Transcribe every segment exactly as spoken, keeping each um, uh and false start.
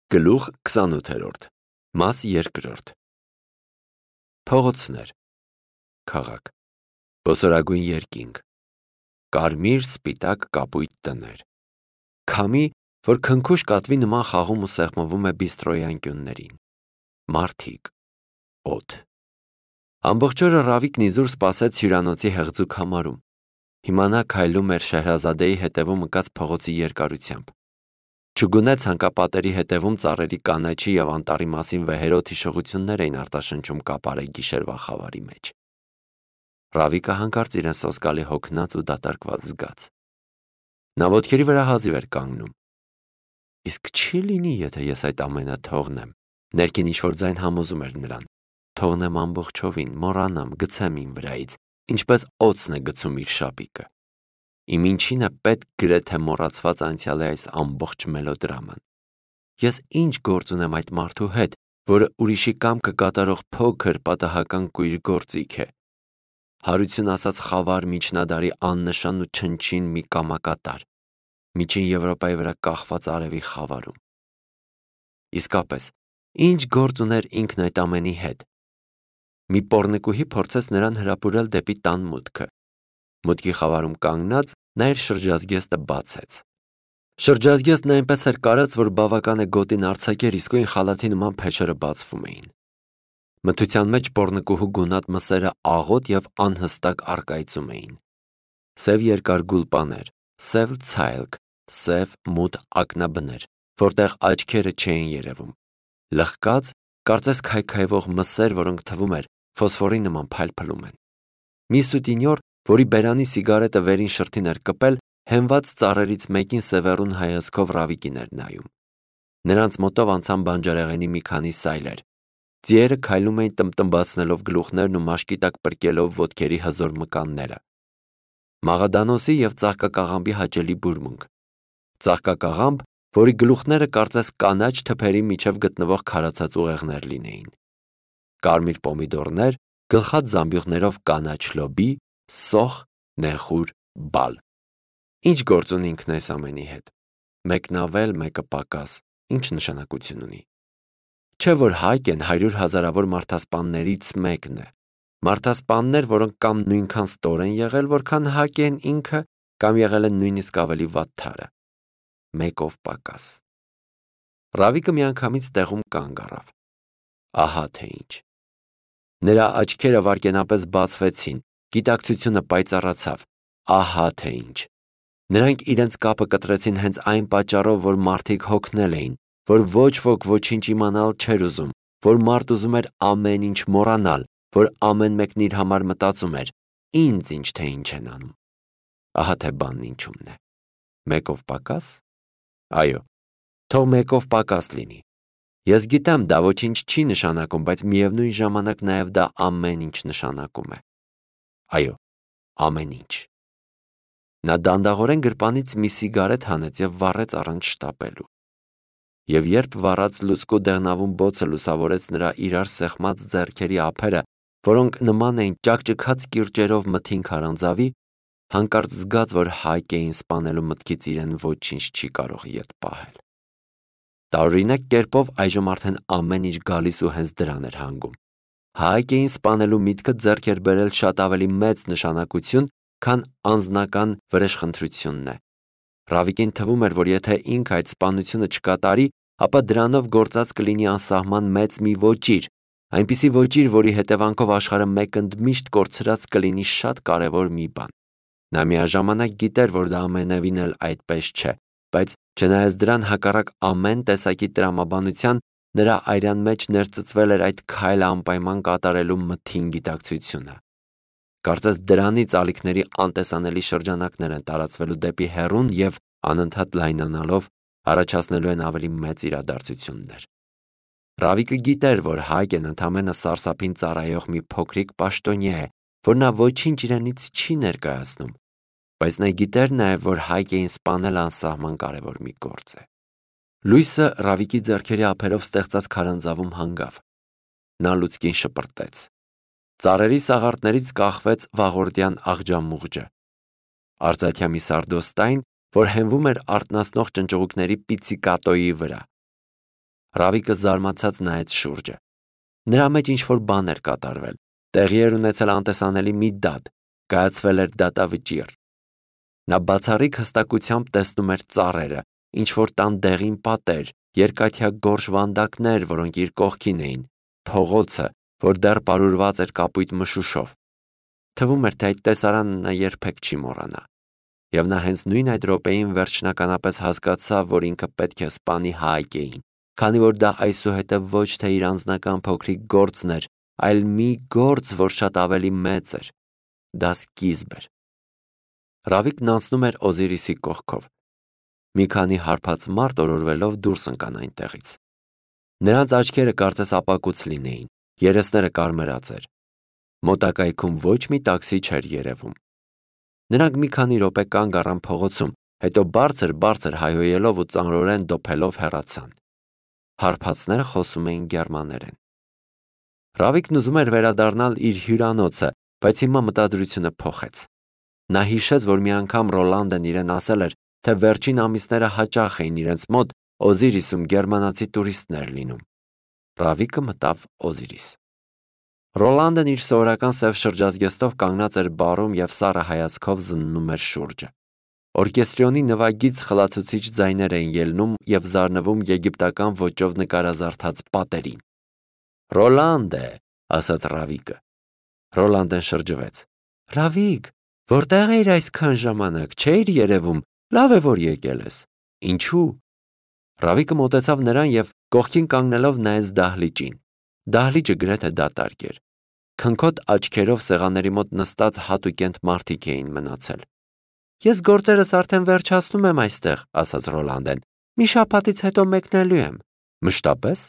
Գլուխ քսանութերորդ Մաս երկրորդ Փողոցներ Քաղաք Բոսորագույն երկինք Կարմիր սպիտակ կապույտ տներ Քամի, որ քնքուշ կատվի նման խաղում ու սեղմվում է բիստրոյի անկյուններին Մարդիկ Օդ Ամբողջ օրը Ռավիկն իզուր սպասեց հյուրանոցի հեղձուկ համարում Հիմա նա քայլում էր Շեհրազադեի հետևում ընկած փողոցի երկարությամբ Չգունե ցանկապատերի հետևում ծառերի կանաչի և անտառի մասին վեհերոտ հիշողություններ էին արտաշնչում կապարեի գիշերվա խավարի մեջ Ռավիկը հանկարծ իրեն սոսկալի հոգնած ու դատարկված զգաց Նա ոտքերի վրա հազիվ էր կանգնում Իսկ չի լինի, եթե ես այդ ամենը թողնեմ Ներքին ինչ-որ ձայն համոզում էր նրան Թողնեմ ամբողջովին, մոռանամ, գցեմ իմ վրայից Ինչպես օձն է գցում իր շապիկը Իմ ինչին է պետք գրեթե մոռացված անցյալի այս ամբողջ մելոդրաման Ես ինչ գործ ունեմ այդ մարդու հետ, որը ուրիշի կամքը կատարող փոքր պատահական կույր գործիք է Հարություն ասած խավար միջնադարի աննշան ու չնչին մի կամակատար Միջին Եվրոպայի վրա կախված արևի խավարում Իսկապես, ինչ գործ ուներ ինքն այդ ամենի հետ Մի պոռնիկուհի փորձեց նրան հրապուրել դեպի տան մուտքը Մուտքի խավարում կանգնած նա իր շրջազգեստը բացեց Շրջազգեստն այնպես էր կարած, որ բավական է գոտին արձակեր, իսկույն խալաթի նման փեշերը բացվում էին Մթության մեջ պոռնիկուհու գունատ մսերը աղոտ և անհստակ առկայծում էին Սև երկար գուլպաներ, սև ցայլք, սև մութ ակնաբներ, որտեղ աչքերը չէին երևում Լղկած, կարծես քայքայվող մսեր, որոնք թվում էր ֆոսֆորի նման փայլփլում են Մի սուտինյոր, որի բերանի սիգարետը վերին շրթին էր կպել, հենված ծառերից մեկին սևեռուն հայացքով Ռավիկին էր նայում Նրանց մոտով անցան բանջարեղենի մի քանի սայլեր Ձիերը քայլում էին տմբտմբացնելով գլուխներն ու մաշկի տակ պրկելով ոտքերի հզոր մկանները Մաղադանոսի և ծաղկակաղամբի հաճելի բուրմունք Ծաղկակաղամբ, որի գլուխները կարծես կանաչ թփերի միջև գտնվող քարացած ուղեղներ լինեին Կարմիր պոմիդորներ, գլխատ զամբյուղներով կանաչ լոբի, սոխ, նեխուր, բալ Ինչ գործ ունի ինքն այս ամենի հետ Մեկն ավել, մեկը պակաս, ինչ նշանակություն ունի Չէ՞ որ հայկ են հարյուր հազարավոր մարդասպաններից մեկն է Մարդասպաններ, որոնք կամ նույնքան ստոր են եղել, որքան հայկ են ինքը, կամ եղել են նույնիսկ ավելի վատթարը Մեկով պակաս Ռավիկը միանգամից տեղում կանգ առավ Ահա թե ինչ Նրա աչքերը վայրկենապես բացվեցին, գիտակցությունը պայծառացավ Ահա թե ինչ Նրանք իրենց կապը կտրեցին հենց այն պատճառով, որ մարդիկ հոգնել էին, որ ոչ ոք ոչինչ իմանալ չէր ուզում, որ մարդ ուզում էր ամեն ինչ մոռանալ, որ ամեն մեկն իր համար մտածում էր Ինձ ինչ թե ինչ են անում Ահա թե բանն ինչումն է Մեկով պակաս Այո, թող մեկով պակաս լինի Ես գիտեմ, դա ոչինչ չի նշանակում, բայց միևնույն ժամանակ նաև դա ամեն ինչ նշանակում է Այո, ամեն ինչ Նա դանդաղորեն գրպանից մի սիգարետ հանեց և վառեց առանց շտապելու Եվ երբ վառած լուցկու դեղնավուն բոցը լուսավորեց նրա իրար սեղմած ձեռքերի ափերը, որոնք նման էին ճաքճքած կիրճերով մթին քարանձավի, հանկարծ զգաց, որ հայկ էին սպանելու մտքից իրեն ոչինչ չի կարող ետ պահել Տարօրինակ կերպով այժմ արդեն ամեն ինչ գալիս ու հենց դրան էր հանգում Հայկ էին սպանելու միտքը ձեռք էր բերել շատ ավելի մեծ նշանակություն, քան անձնական վրեժխնդրությունն է Ռավիկին թվում էր, որ եթե ինքը այդ սպանությունը չկատարի, ապա դրանով գործած կլինի անսահման մեծ մի ոճիր, այնպիսի ոճիր, որի հետևանքով աշխարհը մեկընդմիշտ կորցրած կլինի շատ կարևոր մի բան Նա միաժամանակ գիտեր, որ դա ամենևին էլ այդպես չէ, բայց չնայած դրան հակառակ ամեն տեսակի տրամաբանության, նրա արյան մեջ ներծծվել էր այդ քայլը անպայման կատարելու մթին գիտակցությունը Կարծես դրանից ալիքների անտեսանելի շրջանակներ են տարածվելու դեպի հեռուն և անընդհատ լայնանալով առաջացնելու են ավելի մեծ իրադարձություններ Ռավիկը գիտեր, որ Հայկեն ընդամենը սարսափին ծառայող մի փոքրիկ պաշտոնյա է, որ նա ոչինչ իրենից չի ներկայացնում, բայց նա գիտեր նաև, որ Հայկեին սպանել անսահման կարևոր մի գործ է Լույսը Ռավիկի ձեռքերի ափերով ստեղծած քարանձավում հանգավ Նա լուցկին շպրտեց Ծառերի սաղարթներից կախվեց վաղորդյան աղջամուղջը Արծաթյա մի սարդոստայն, որ հենվում էր արթնացնող ճնճղուկների պիցիկատոյի վրա Ռավիկը զարմացած նայեց շուրջը։ Նրա մեջ ինչ-որ բան էր կատարվել, տեղի էր ունեցել անտեսանելի մի դատ, կայացվել էր դատավճիռ։ Նա բացառիկ հստակությամբ տեսնում էր ծառերը, ինչ-որ տան դեղին պատեր, երկաթյա գորշ վանդակներ, որոնք իր կողքին էին, փողոցը, որ դեռ պարուրված էր կապույտ մշուշով։ Թվում էր, թե այդ տեսարանը նա երբեք չի մոռանա։ Եվ նա հենց նույն այդ րոպեին վերջնականապես հասկացավ, որ ինքը պետք է սպանի Հայկեին, քանի որ դա այսուհետև ոչ թե իր անձնական փոքրիկ գործն էր, այլ մի գործ, որ շատ ավելի մեծ էր։ Դա սկիզբ էր։ Ռավիկն անցնում էր Օզիրիսի կողքով։ Մի քանի հարբած մարդ օրորվելով դուրս ընկան այնտեղից։ Նրանց աչքերը կարծես ապակուց լինեին, երեսները կարմրած էր։ Մոտակայքում ոչ մի տաքսի չէր երևում։ Նրանք մի քանի րոպե կանգ առան փողոցում, հետո բարձր-բարձր հայհոյելով ու ծանրորեն դոփելով հեռացան։ Հարբածները խոսում էին գերմաներեն։ Ռավիկն ուզում էր վերադառնալ իր հյուրանոցը, բայց հիմա մտադրությունը փոխեց։ Նա հիշեց, որ մի անգամ Ռոլանդն իրեն ասել էր, թե վերջին ամիսները հաճախ էին իրենց մոտ Օզիրիսում գերմանացի տուրիստներ լինում։ Ռավիկը մտավ Օզիրիս։ Ռոլանդն իր սովորական սև շրջազգեստով կանգնած էր բարում և սառը հայացքով զննում էր շուրջը։ Օրկեստրոնի նվագից խլացուցիչ ձայներ էին ելնում և զարնվում եգիպտական ոճով նկարազարդած պատերին։ «Ռոլանդ է», ասաց Ռավիկը։ Ռոլանդն շրջվեց։ «Ռավիկ, որտեղ էիր այսքան ժամանակ, չէիր երևում, լավ է, որ եկել ես»։ «Ինչու»։ Ռավիկը մոտեցավ նրան և կողքին կանգնելով նայեց դահլիճին։ Դահլիճը գրեթե դատարկ էր։ Քնքոտ աչքերով սեղանների մոտ նստած հատուկենտ մարդիկ էին մնացել։ «Ես գործերս արդեն վերջացնում եմ այստեղ», ասաց Ռոլանդեն։ «Մի շաբաթից հետո մեկնելու եմ»։ «Մշտապես»։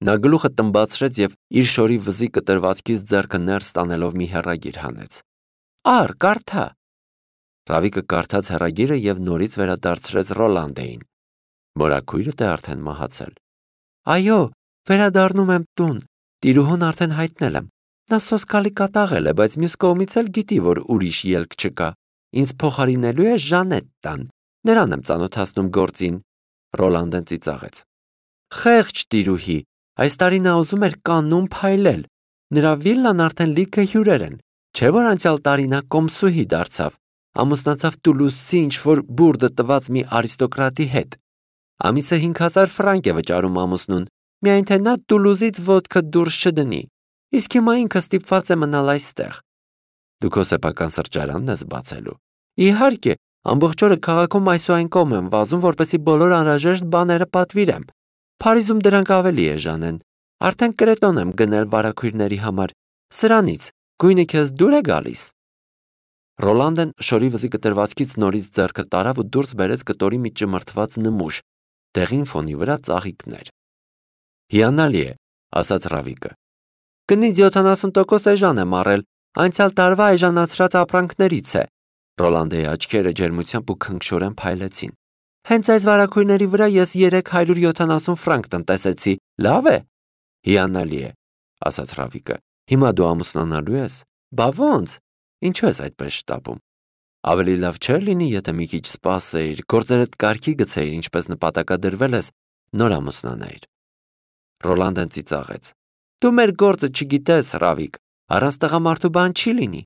Նա գլուխը տմբացրեց և իր շորի վզի կտրվածքից ձեռքը ներս տանելով մի հեռագիր հանեց։ «Առ, կարդա»։ Ռավիկը կարդաց հեռագիրը և նորից վերադարձրեց Ռոլանդեին։ «Մորաքույրդ է արդեն մահացել»։ «Այո, վերադառնում եմ տուն, տիրուհուն արդեն հայտնել եմ։ Նա սոսկալի կատաղել է, բայց մյուս կողմից էլ գիտի, որ ուրիշ ելք չկա։ Ինձ փոխարինելու է Ժանետտան, նրան եմ ծանոթացնում գործին»։ Ռոլանդն ծիծաղեց։ «Խեղճ տիրուհի, այս տարի նա ուզում էր Կաննում փայլել։ Նրա վիլլան արդեն լիքը հյուրեր են, չէ՞ որ անցյալ տարի նա կոմսուհի դարձավ, ամուսնացավ Տուլուզցի ինչ-որ բուրդը տված մի արիստոկրատի հետ։ Ամիսը հինգ հազար ֆրանկ է վճարում ամուսնուն, միայն թե նա Տուլուզից ոդկա դուրս չդնի, իսկ հիմա ինքը ստիպված է մնալ այստեղ»։ «Դու քո սեփական սրճարանն ես բացելու»։ «Իհարկե, ամբողջ օրը քաղաքում այս ու այն կողմ եմ վազում, որպեսզի բոլոր անհրաժեշտ բաները պատվիրեմ։ Փարիզում դրանք ավելի էժան են։ Արդեն կրետոն եմ գնել վարագույրների համար։ Սրանից գույնը քեզ դուր է գալիս»։ Ռոլանդն շորի վզի կտրվածքից նորից ձեռքը տարավ ու դուրս բերեց կտորի մի ճմրթված նմուշ, դեղին ֆոնի վրա ծաղիկներ։ «Հիանալի է», ասաց Ռավիկը։ «Գնից յոթանասուն տոկոս էժան եմ առել, անցյալ տարվա էժանացրած ապրանքներից է»։ Ռոլանդեի աչքերը ջերմությամբ ու քնքշորեն փայլեցին։ «Հենց այս վարագույրների վրա ես երեք հարյուր յոթանասուն ֆրանկ տնտեսեցի, լավ է»։ «Հիանալի է», ասաց Ռավիկը։ «Հիմա դու ամուսնանալու ես»։ «Բա ոնց, ինչու ես այդպես շտապում»։ «Ավելի լավ չէր լինի, եթե մի քիչ սպասեիր, գործերդ կարգի գցեիր, ինչպես նպատակադրվել ես, նոր ամուսնանայիր»։ Ռոլանդն ծիծաղեց։ «Դու մեր գործը չգիտես, Ռավիկ, առանց տղամարդու բան չի լինի։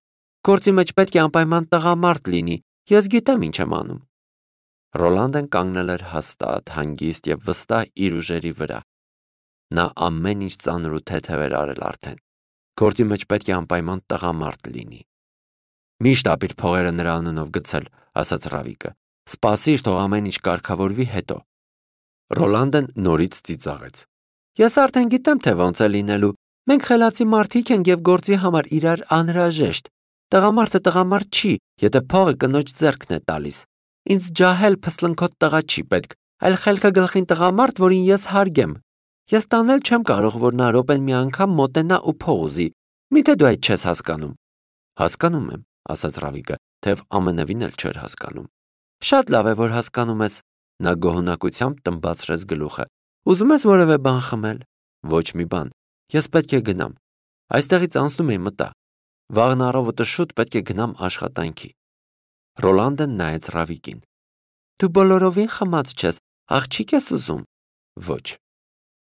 Գործի մեջ պետք է անպայման տղամարդ լինի, ես գիտեմ ինչ եմ անում»։ Ռոլանդն կանգնել էր հաստատ, հանգիստ և վստահ իր ուժերի վրա։ Նա ամեն ինչ ծանր ու թեթև էր արել արդեն։ Գործի մեջ պետք է անպայման տղամարդ լինի։ «Մի շտապիր փողերը նրա անունով գցել», ասաց Ռավիկը։ «Սպասիր, թող ամեն ինչ կարգավորվի, հետո»։ Ռոլանդն նորից ծիծաղեց։ «Ես արդեն գիտեմ, թե ոնց է լինելու։ Մենք խելացի մարդիկ ենք և գործի համար իրար անհրաժեշտ։ Տղամարդը տղամարդ չի, եթե փողը կնոջ ձեռքն է տալիս։ Ինձ ջահել փսլնքոտ տղա չի պետք, այլ խելքը գլխին տղամարդ, որին ես հարգեմ։ Ես տանել չեմ կարող, որ նա րոպեն մի անգամ մոտենա ու փող ուզի։ Միթե դու այդ չես հասկանում»։ «Հասկանում եմ», ասաց Ռավիկը, թեև ամենևին էլ չէր հասկանում։ «Շատ լավ է, որ հասկանում ես»։ Նա գոհունակությամբ տմբացրեց գլուխը։ «Ուզում ես որևէ բան խմել»։ «Ոչ մի բան։ Ես պետք է գնամ։ Այստեղից անցնում էի մտա։ Վաղն առավոտը շուտ պետք է գնամ աշխատանքի»։ Ռոլանդն նայեց Ռավիկին։ «Դու բոլորովին խմած չես, աղջիկ ես ուզում»։ «Ոչ»։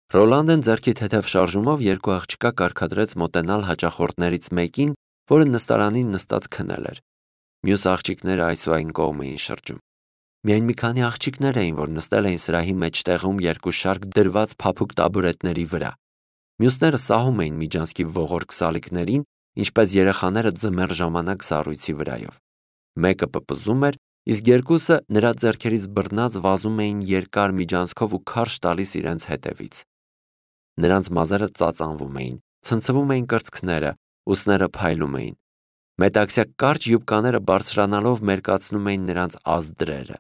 Ռոլանդեն ձեռքի թեթև շարժումով երկու աղջկա կարգադրեց մոտենալ հաճախորդներից մեկին, որը նստարանին նստած քնել էր։ Մյուս աղջիկները այսուայն կողմ էին շրջում։ Միայն մի քանի աղջիկներ էին, որ նստել էին սրահի մեջտեղում երկու շարք դրված փափուկ տաբուրետների վրա։ Մյուսները սահում էին Միջանցքի ողորկ սալիկներին, ինչպես երեխաները ձմեռ ժամանակ սառույցի վրայով։ Մեկը պպզում էր, իսկ երկուսը նրա ձեռքերից բռնած վազում էին երկար միջանցքով ու քարշ տալիս իրենց հետևից։ Նրանց մազերը ծածանվում էին, ցնցվում էին կրծքները, ուսները փայլում էին։ Մետաքսյա կարճ յուբկաները բարձրանալով մերկացնում էին նրանց ազդրերը։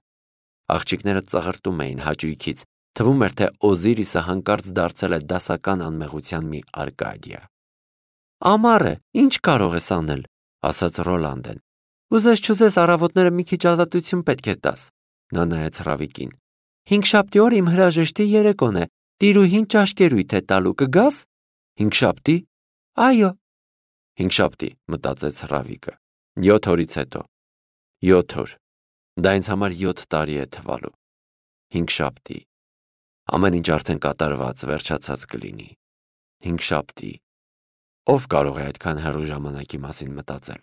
Աղջիկները ծղրտում էին հաճույքից, թվում էր, թե Օզիրիսը հանկարծ դարձել է դասական անմեղության մի արկադիա։ «Ամառ է, ինչ կարող ես անել», ասաց Ռոլանդեն։ «Ուզես չուզես առավոտները մի քիչ ազատություն պետք է տաս», նա նայեց Ռավիկին։ «Հինգշաբթի օր իմ հրաժեշտի երեկոն է, տիրուհին ճաշկերույթ է տալու, կգաս»։ «Հինգշաբթի»։ «Այո»։ «Հինգշաբթի», մտածեց Ռավիկը։ Յոթ օրից հետո։ Յոթ օր։ Դա ինձ համար յոթ տարի է թվալու։ Հինգշաբթի։ Ամեն ինչ արդեն կատարված, վերջացած կլինի։ Հինգշաբթի։ Ով կարող է այդքան հեռու ժամանակի մասին մտածել։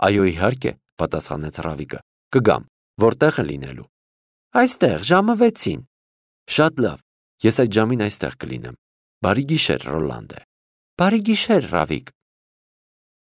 Այո, իհարկե, պատասխանեց Ռավիկը։ Կգամ։ Որտեղ է լինելու։ Այստեղ, ժամը վեցին։ Շատ լավ։ Ես այդ ժամին այստեղ կլինեմ։ Բարի գիշեր, Ռոլանդե։ Բարի գիշեր, Ռավիկ։